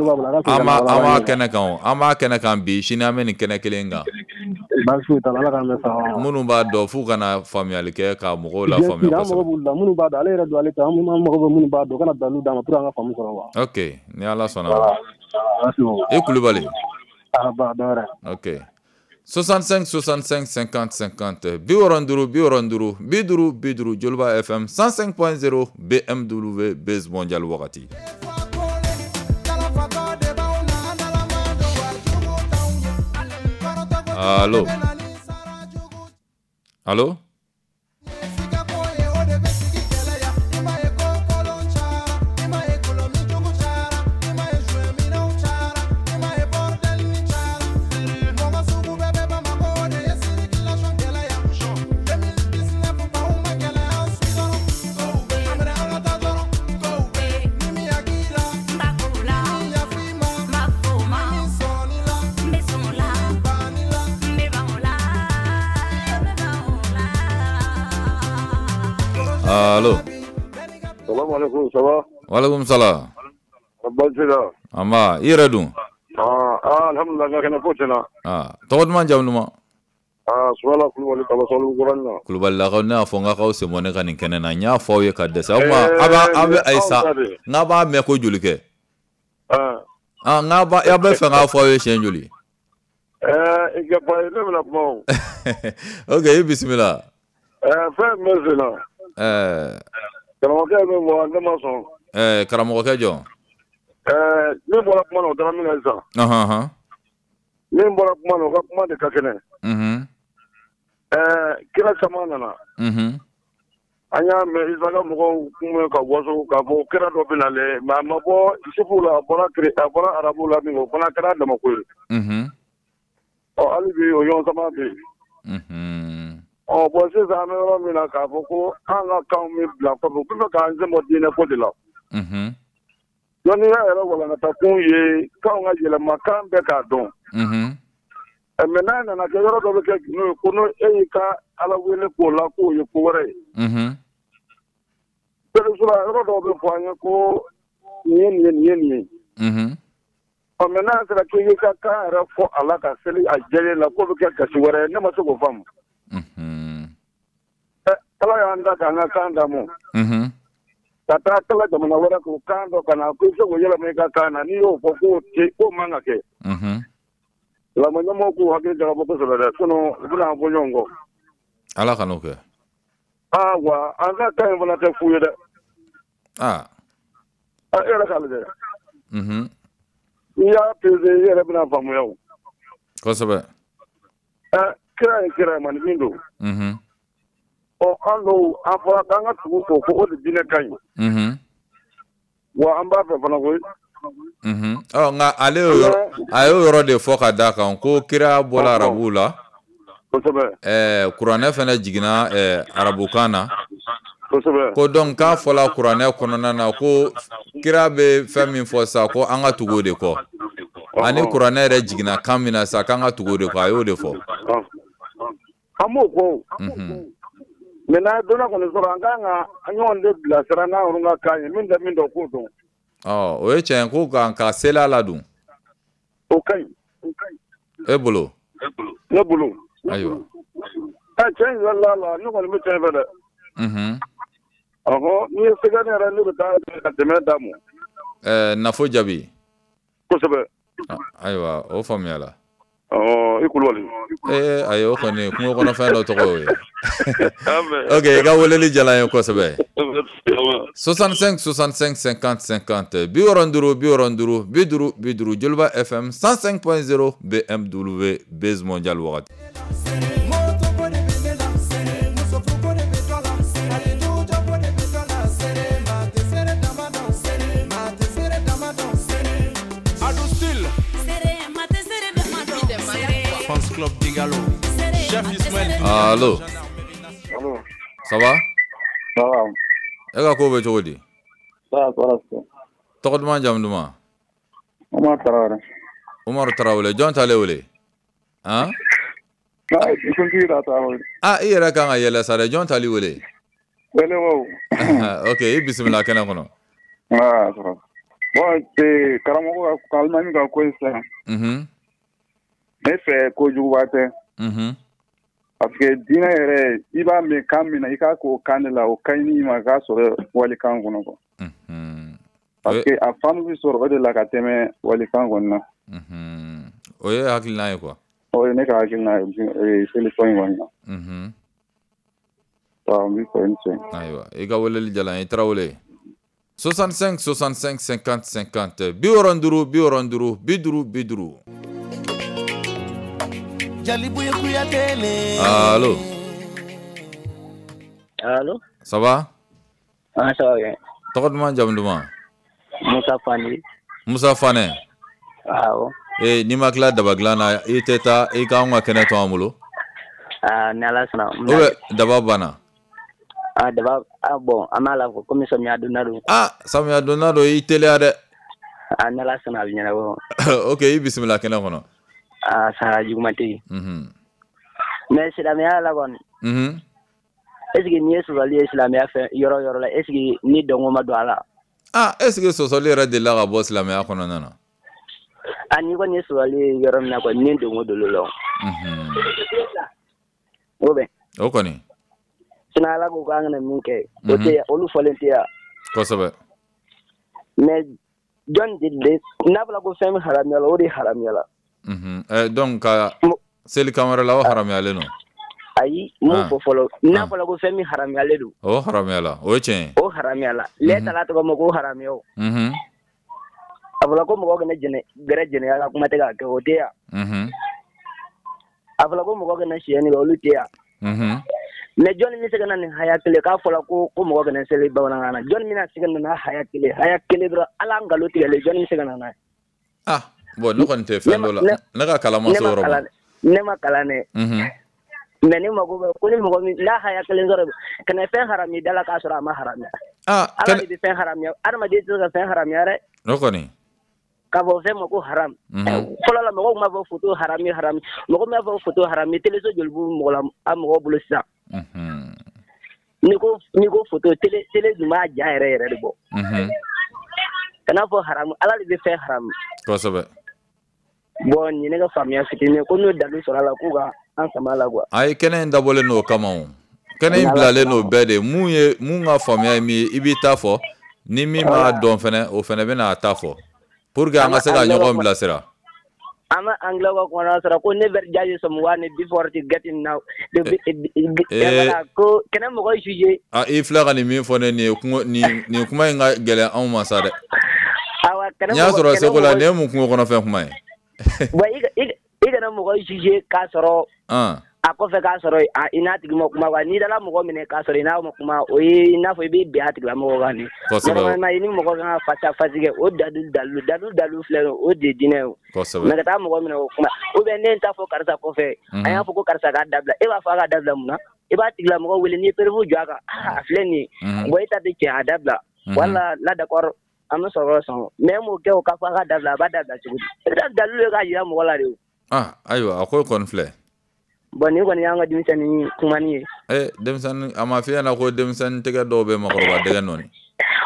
kɛnɛ kan, an b'a kɛnɛ kan bi, sini an bɛ nin kɛnɛ kelen kan. Baasi foyi t'a la, Ala k'an bɛn sababa ma. Minnu b'a dɔn f'u kana faamuyali kɛ ka mɔgɔw la faamuya kosɛbɛ. An mago b'olu la, minnu b'a dɔn, ale yɛrɛ don ale ta, an mago bɛ minnu b'a dɔn, u kana dalilu d'an ma pour an ka faamu sɔrɔ quoi. Ok, ni Ala sɔnna. Voilà. I Kulubali. Ah ba dɔ wɛrɛ. Ok. 65 65 50 50 65 65 50 50 Joliba FM 105.0 BMW Buzz Mondial wagati. Allo. Allo. Allo. Salam alaikum, ça va? Wa alaikum salam. Baasi la. An ba, i yɛrɛ dun? Ah, alhamdulillah, n ka kɛnɛ ko tiɲɛna. Ah, tɔgɔ duman, jamu duman? Ah, Sumala Kulubali ka bɔ Sabalibugu na. Kulubalilakaw, ne y'a fɔ n k'aw sen bɔ ne ka nin kɛnɛ na, n y'a fɔ aw ye ka dɛsɛ. O tuma a b'a a bɛ ayi sa, n k'a b'a mɛn ko joli kɛ? Ah, n k'a b'a aw bɛ fɛ n k'a fɔ aw ye siɲɛ joli? I ka ba ye, ne bɛna kuma o. Ok, i bisimila. Fɛn min bɛ sen na. Karamɔgɔkɛ ye min fɔ, ne ma sɔn. Karamɔgɔkɛ jɔn? Min bɔra kuma na, o taara min kɛ sisan. Min bɔra kuma na, o ka kuma de ka kɛnɛ. Kira caman nana. An y'a mɛn Isa ka mɔgɔw kun bɛ ka waso k'a fɔ kira dɔ bɛ nalen, mais a ma bɔ Isufu la, a bɔra arabu la min, o fana kɛra damako ye. Ɔ, hali bi o ɲɔgɔn sama bɛ yen. Ɔ bon, sisan an bɛ yɔrɔ min na, k'a fɔ ko an ka kanw bɛ bila kɔfɛ, u bɛ fɛ k'an sen bɔ diinɛ ko de la. Dɔnniya yɛrɛ walankata kun ye kanw ka yɛlɛma, kan bɛɛ k'a dɔn. Mais n'a nana kɛ yɔrɔ dɔ bɛ kɛ gundo ye, ko n'o e y'i ka Ala wele k'o la, k'o ye ko wɛrɛ ye. Sura yɔrɔ dɔw bɛ fɔ an ye ko nin ye nin ye, nin ye nin ye. Ɔ, mais n'a sera k'i y'i ka kan yɛrɛ fɔ a la ka seli a jɛlen la, k'o bɛ kɛ gasi wɛrɛ ye, ne ma se k'o faamu. Ala y'an da k'an ka kan d'a ma. Ka taa kala jamana wɛrɛ k'o kan dɔ ka na ko i bɛ se k'o yɛlɛma i ka kan na, n'i y'o fɔ k'o man ka kɛ. Silamɛ ɲɛmɔgɔw k'u hakili jagabɔ kosɛbɛ dɛ, sinon u bɛna an fɔ ɲɔgɔn kɔ. Ala kan'o kɛ. Aa, wa an ka kan in fana tɛ fu ye dɛ. Aa. E yɛrɛ k'a lajɛ. N'i y'a pesé, i yɛrɛ bɛna faamuya o. Kosɛbɛ. Kira ye kira ye, maninfin don. Ɔ, an dɔw an fɔra k'an ka tugu k'o ko o de diinɛ ka ɲi. Wa an b'a fɛ fana koyi. Ɔ, nka ale a y'o yɔrɔ de fɔ ka d'a kan ko kira bɔra arabuw la. Kosɛbɛ. Kuranɛ fana jiginna arabukan na. Kosɛbɛ. Ko donc k'a fɔla kuranɛ kɔnɔna na ko kira bɛ fɛn min fɔ sa, ko an ka tugu o de kɔ. Ani kuranɛ yɛrɛ jiginna kan min na sa, k'an ka tugu o de kɔ, a y'o de fɔ. An b'o kɔ. Mais n'an ye dɔnniya kɔni sɔrɔ, an kan ka an ɲɔgɔn de bilasira n'an yɛrɛ ka kan ye, min tɛ min dɔn, k'o dɔn. Ɔ, o ye tiɲɛ ko ka seli a la dun. O ka ɲi. E bolo? Ne bolo. Ayiwa. Cɛ in yɛrɛ la, ne kɔni bɛ tiɲɛ fɛ dɛ. Ɔhɔ, n'i ye sɛgɛ ne yɛrɛ, ne bɛ taa ka dɛmɛ d'a ma. Nafo jaabi. Kosɛbɛ. Ayiwa, o faamuyala. I Kulubali. Ayi, o kɔni kungo kɔnɔfɛn dɔ tɔgɔ y'o ye. Ok, i ka weleli diyara n ye kosɛbɛ. 65 65 50 50 65 65 50 50 Joliba FM 105.0 BMW Buzz Mondial wagati. Allo. Ça va? Ça va. E ka ko bɛ cogo di? Ça va. Tɔgɔ duman, jamu duman? Umaru Tarawele. Umaru Tarawele, jɔn t'ale wele? Han? Ah, i yɛrɛ kan ka yɛlɛ sa dɛ, jɔn t'ale wele? Wele wo. Ok, i bisimila kɛnɛ kɔnɔ. Ah, ça va. Bon, karamɔgɔ ka alimami ka ko in sisan. Ne fɛ kojuguba tɛ. Parce que diinɛ yɛrɛ, i b'a mɛn kan min na, i k'a k'o kan de la, o ka ɲi ma k'a sɔrɔ walikan kɔnɔ quoi. Parce que a faamu bɛ sɔrɔ o de la ka tɛmɛ walikan kɔni na. O ye hakilina ye quoi. O ye ne ka hakilina ye solution in kɔni na. Waaw, n b'i fo, i ni ce. Ayiwa, i ka weleli diyara n ye, i Tarawele. 65 65 50 50, 65 65 50 50. Allo. Allo. Ça va? Ah, ça va bien. Tɔgɔ duman, jamu duman? Musa Fane. Musa Fane. Awɔ. Ee, n'i ma tila daba dilan na, i tɛ taa i k'anw ka kɛnɛ to an bolo. Ah, ni Ala sɔnna. Ou bien daba banna? Ah, daba, ah bon, an b'a la komi samiya donda don. Ah, samiya donda don, i teliya dɛ. Ah, ni Ala sɔnna a bɛ ɲɛnabɔ. Ok, i bisimila kɛnɛ kɔnɔ. Ah, sara juguman tɛ yen. Mais silamɛya la kɔni. Est ce que n'i ye sɔsɔli ye silamɛya fɛ yɔrɔ yɔrɔ la, est ce que ni dɔnko ma don a la? Ah, est ce que sɔsɔli yɛrɛ delila ka bɔ silamɛya kɔnɔna na? Ah, n'i kɔni ye sɔsɔli ye yɔrɔ min na kɔni, ni dɔnko don l'o la. O bɛ. O kɔni. Sinon Ala ko k'an kana min kɛ, o tɛ yan, olu fɔlen tɛ yan. Kosɛbɛ. Mais jɔn de n'a fɔra ko fɛn min haramuyala, o de haramuyala. Donc ka seli kan wɛrɛ la, o haramuyalen don. Ayi, n m'o fɔ fɔlɔ. N'a fɔra ko fɛn min haramuyalen don. O haramuyala, o ye tiɲɛ ye. O haramuyala. Lɛ tala tɔgɔ ma ko haramuya o. A fɔra ko mɔgɔ kana jɛnɛ gɛrɛ jɛnɛya la, kuma tɛ k'a kɛ, o tɛ yan. A fɔra ko mɔgɔ kana siyɛnni kɛ, olu tɛ yan. Mais jɔnni bɛ se ka na nin haya kelen k'a fɔra ko mɔgɔ kana seli bamanankan na, jɔnni bɛna se ka na n'a haya kelen, haya kelen dɔrɔn, ala nkalon tigɛlen, jɔnni bɛ se ka na n'a ye? Ah, bon, ne kɔni tɛ fɛn dɔ la, ne ka kalan ma se o yɔrɔ ma. Ne ma kalan dɛ. Mais ne mago bɛ ko ni mɔgɔ min n'a haya kelen sɔrɔ, kana fɛn harami da la k'a sɔrɔ a ma haramuya. Ah, Ala de bɛ fɛn haramuya, adamaden tɛ se ka fɛn haramuya dɛ. O kɔni. K'a fɔ fɛn ma ko haram. Fɔlɔ la mɔgɔw tun b'a fɔ photo harami harami, mɔgɔ min b'a fɔ photo harami, téléso joli b'u mɔgɔ la, a mɔgɔw bolo sisan. N'i ko photo, télé dun b'a ja yɛrɛ yɛrɛ de bɔ. Kana fɔ haramu, Ala de bɛ fɛn haramu. Kosɛbɛ. Bon, nin ye ne ka faamuya fitinin ye, ko n'o dalu sɔrɔ a la k'u ka an sama la quoi. Ayi, kɛnɛ in dabɔlen n'o kama o. Kɛnɛ in bilalen n'o bɛɛ de. Mun ye mun ka faamuya ye min ye, i b'i ta fɔ. Ni min b'a dɔn fɛnɛ, o fɛnɛ bɛna a ta fɔ. Pour que an ka se ka ɲɔgɔn bilasira. An ma anglais ka kuma sɔrɔ ko never judge someone before to getting now. Ko kɛnɛ mɔgɔ juger. Ah, i filɛ ka nin min fɔ ne nin ye kungo nin kuma in ka gɛlɛn anw ma sa dɛ. Awa, kɛnɛ N'i y'a sɔrɔ seko la, nin ye mun kungo kɔnɔfɛn kuma ye? Bon, i kana mɔgɔ juger k'a sɔrɔ a kɔfɛ k'a sɔrɔ i n'a tigi ma kuma quoi. N'i dala mɔgɔ minɛ k'a sɔrɔ i n'a ma kuma, o ye i n'a fɔ i b'i bin a tigilamɔgɔ kan de. Normalement i ni mɔgɔ kan ka face à face kɛ, o dalu dalu filɛ nin ye, o de ye diinɛ ye o. Mais ka taa mɔgɔ minɛ o kuma, ou bien ne ye n ta fɔ karisa kɔfɛ, an y'a fɔ ko karisa k'a dabila, e b'a fɔ a k'a dabila mun na? I b'a tigilamɔgɔ wele, n'i ye preuve jɔ a kan, a filɛ nin ye, bon e ta tɛ tiɲɛ, a dabila. Wala la d'accord, an bɛ sɔrɔ sɔn, mais e m'o kɛ o k'a fɔ a k'a dabila, a b'a dabila cogo di? I bɛ taa dalilu ye k'a jira mɔgɔ la de o. Ah, ayiwa, a ko kɔni filɛ. Bon, nin kɔni y'an ka denmisɛnnin kumani ye. Denmisɛnnin, a ma f'i ɲɛna ko denmisɛnnin tɛgɛ dɔw bɛ makɔrɔba dɛgɛ nɔɔni.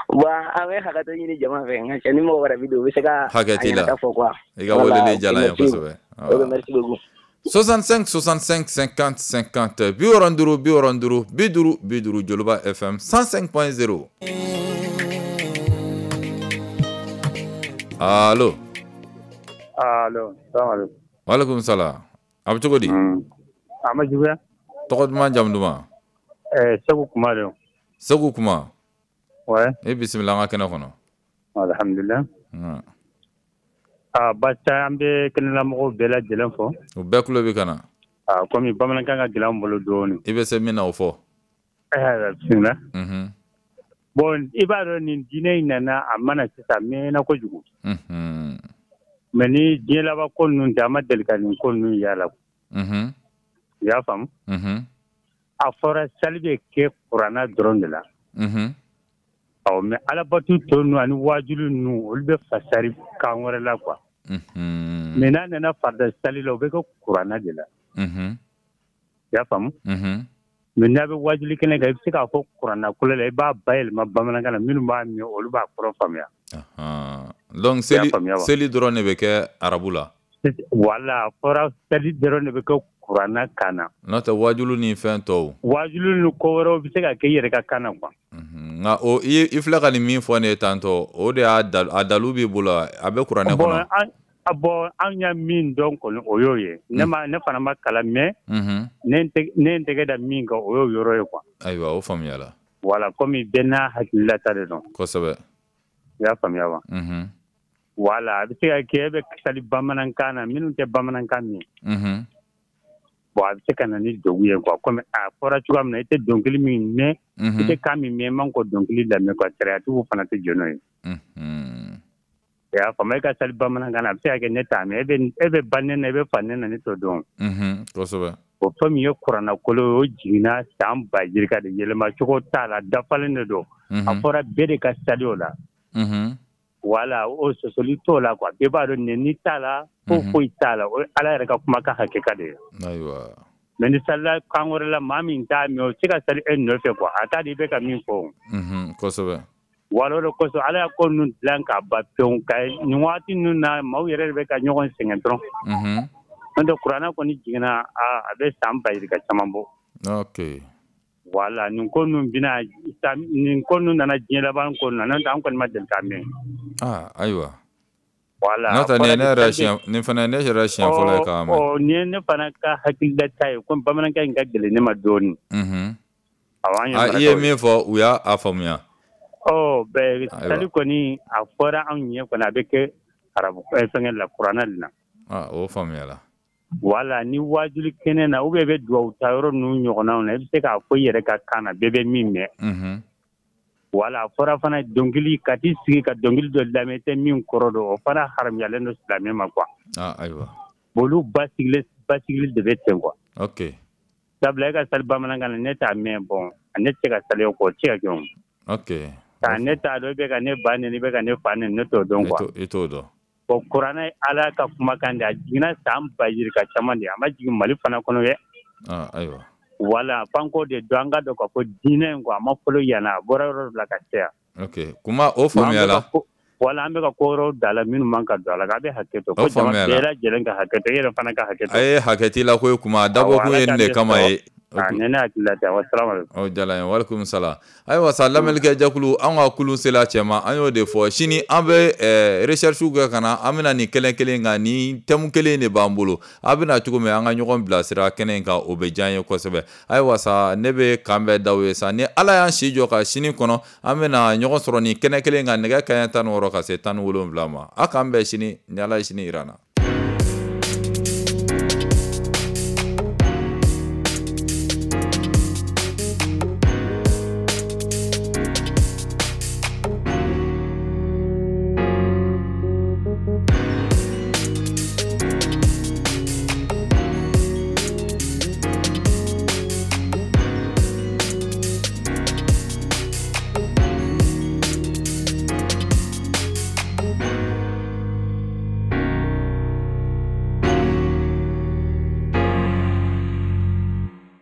Bon, an bɛ hakɛto ɲini jama fɛ, nka cɛ ni mɔgɔ wɛrɛ bɛ don, u bɛ se ka hakɛ t'i la. Fɔ quoi. I ka weleli diyara n ye kosɛbɛ. Ok, merci beaucoup. 65 65 50 50, 65 65 50 50, Joliba FM 105.0. Allo. Allo, salam alaikum. Wa alaikum salam. A bɛ cogo di? A ma juguya. Tɔgɔ duman, jamu duman? Segu Kuma don. Segu Kuma. Ouais. E bisimila an ka kɛnɛ kɔnɔ. Alhamdulillah. Ah, basi an bɛ kɛnɛlamɔgɔw bɛɛ lajɛlen fɔ. U bɛɛ tulo bɛ ka na. Ah, komi bamanankan ka gɛlɛn an bolo dɔɔnin. I bɛ se min na o fɔ. Bismillah. Bon, i b'a dɔn nin diinɛ in nana a mana sisan a mɛnna kojugu. Mais ni diɲɛ laban ko ninnu tɛ, an ma deli ka nin ko ninnu y'a la. I y'a faamu? A fɔra sali bɛ kɛ kuranna dɔrɔn de la. Ɔ, mais alabatu tɔ ninnu ani waajuli ninnu, olu bɛ fasari kan wɛrɛ la quoi. Mais n'a nana farida sali la, o bɛ kɛ kuranna de la. I y'a faamu? Mais n'a bɛ waajuli kɛnɛ kan, i bɛ se k'a fɔ kuranna kolo la, i b'a bayɛlɛma bamanankan na, minnu b'a mɛn olu b'a kɔrɔ faamuya. Donc seli dɔrɔn de bɛ kɛ arabu la. Wala, a fɔra seli dɔrɔn de bɛ kɛ kuranna kan na. N'o tɛ wajulu ni fɛn tɔw. Wajulu ni ko wɛrɛw bɛ se ka kɛ i yɛrɛ ka kan na quoi. Nka o i filɛ ka nin min fɔ ne ye tantɔ, o de y'a a dalu b'i bolo, a bɛ kuranɛ kɔnɔ. Bon, an y'a min dɔn kɔni, o y'o ye. Ne ma, ne fana ma kalan, mais ne n tɛgɛ da min kan, o y'o yɔrɔ ye quoi. Ayiwa, o faamuyala. Voilà, komi bɛɛ n'a hakililata de don. Kosɛbɛ. I y'a faamuya wa? Voilà, a bɛ se ka kɛ e bɛ sali bamanankan na, minnu tɛ bamanankan mɛn. Bon, a bɛ se ka na ni degun ye quoi, komi a fɔra cogoya min na, i tɛ dɔnkili min mɛn, i tɛ kan min mɛn, i man k'o dɔnkili lamɛn quoi, sariyatigiw fana tɛ jɛn n'o ye. I y'a faamu, e ka sali bamanankan na, a bɛ se ka kɛ ne t'a mɛn, e bɛ ba nɛni na, e bɛ fa nɛni na, ne t'o dɔn. Kosɛbɛ. O fɛn min ye kuranna kolo ye, o jiginna san ba yirika de, yɛlɛma cogo t'a la, dafalen de don. A fɔra bɛɛ de ka sali o la. Wala, o sɔsɔli t'o la quoi, bɛɛ b'a dɔn nɛni t'a la, foyi t'a la, o ye Ala yɛrɛ ka kumakan hakika de ye. Ayiwa. Mais ni salila kan wɛrɛ la, maa min t'a mɛn, o tɛ se ka sali e nɔfɛ quoi, a t'a dɔn i bɛ ka min fɔ. Kosɛbɛ. Wala, o de kosɔn Ala y'a ko ninnu dilan k'a ban pewu, ka nin waati ninnu na, maaw yɛrɛ de bɛ ka ɲɔgɔn sɛgɛn dɔrɔn. N'o tɛ kuranɛ kɔni jiginna, a bɛ san ba yirika caman bɔ. Ok. Wala, nin ko ninnu bɛna, nin ko ninnu nana diɲɛ laban ko ninnu na, n'o tɛ an kɔni ma deli k'a mɛn. Ah, ayiwa. Wala. N'o tɛ nin ye ne yɛrɛ siɲɛ, nin fana ne yɛrɛ siɲɛ fɔlɔ ye k'a mɛn. Ɔ, nin ye ne fana ka hakililata ye, komi bamanankan in ka gɛlɛn ne ma dɔɔnin. Awɔ, an ye I ye min fɔ, u y'a faamuya. Ɔ, bɛɛ sali kɔni, a fɔra anw ɲɛ kɔni, a bɛ kɛ arabu fɛngɛ la, kuranɛ de la. Ah, o faamuyala. Wala, ni wajuli kɛnɛ na, ou bien i bɛ duwawu ta yɔrɔ ninnu ɲɔgɔnnaw na, i bɛ se k'a fɔ i yɛrɛ ka kan na, bɛɛ bɛ min mɛn. Wala, a fɔra fana dɔnkili, ka t'i sigi ka dɔnkili dɔ lamɛn, i tɛ min kɔrɔ dɔn, o fana haramuyalen don silamɛ ma quoi. Ah, ayiwa. Olu basigili de bɛ ten quoi. Ok. Sabula e ka sali bamanankan na, ne t'a mɛn, bon, ne tɛ se ka sali o kɔ, o tɛ se ka kɛ o. Ok. Ka ne t'a dɔn, i bɛ ka ne ba nɛni, i bɛ ka ne fa nɛni, ne t'o dɔn quoi. I t'o dɔn. Bon, kuranɛ ye Ala ka kumakan de, a jiginna san ba yirika caman de, a ma jigin Mali fana kɔnɔ dɛ. Ah, ayiwa. Wala, f'an k'o de dɔn, an ka dɔn k'a fɔ diinɛ in quoi, a ma fɔlɔ yan, a bɔra yɔrɔ dɔ la ka caya. Ok, kuma o faamuyala. Wala, an bɛ ka ko wɛrɛw da la minnu man ka don a la, a bɛ hakɛ to. Ko jama bɛɛ lajɛlen ka hakɛ to, e yɛrɛ fana ka hakɛ to. A ye hakɛ t'i la koyi, kuma a dabɔ kun ye nin de kama ye. Nin ne hakilila tɛ. Wa salamu aleykum. O diyara n ye, walekum salam. Ayiwa sa, lamɛnnikɛ jɛkulu, an ka kulun sela cɛ ma, an y'o de fɔ, sini an bɛ recherche kɛ ka na, an bɛna nin kɛnɛ kelen kan, ni thème kelen de b'an bolo, a bɛna cogo min, an ka ɲɔgɔn bilasira kɛnɛ in kan, o bɛ diya an ye kosɛbɛ. Ayiwa sa, ne bɛ kan bɛɛ d'aw ye sa, ni Ala y'an si jɔ ka sini kɔnɔ, an bɛna ɲɔgɔn sɔrɔ nin kɛnɛ kelen kan, nɛgɛ kanɲɛ 16 ka se 17 ma. A k'an bɛn sini ni Ala ye sini jira an na.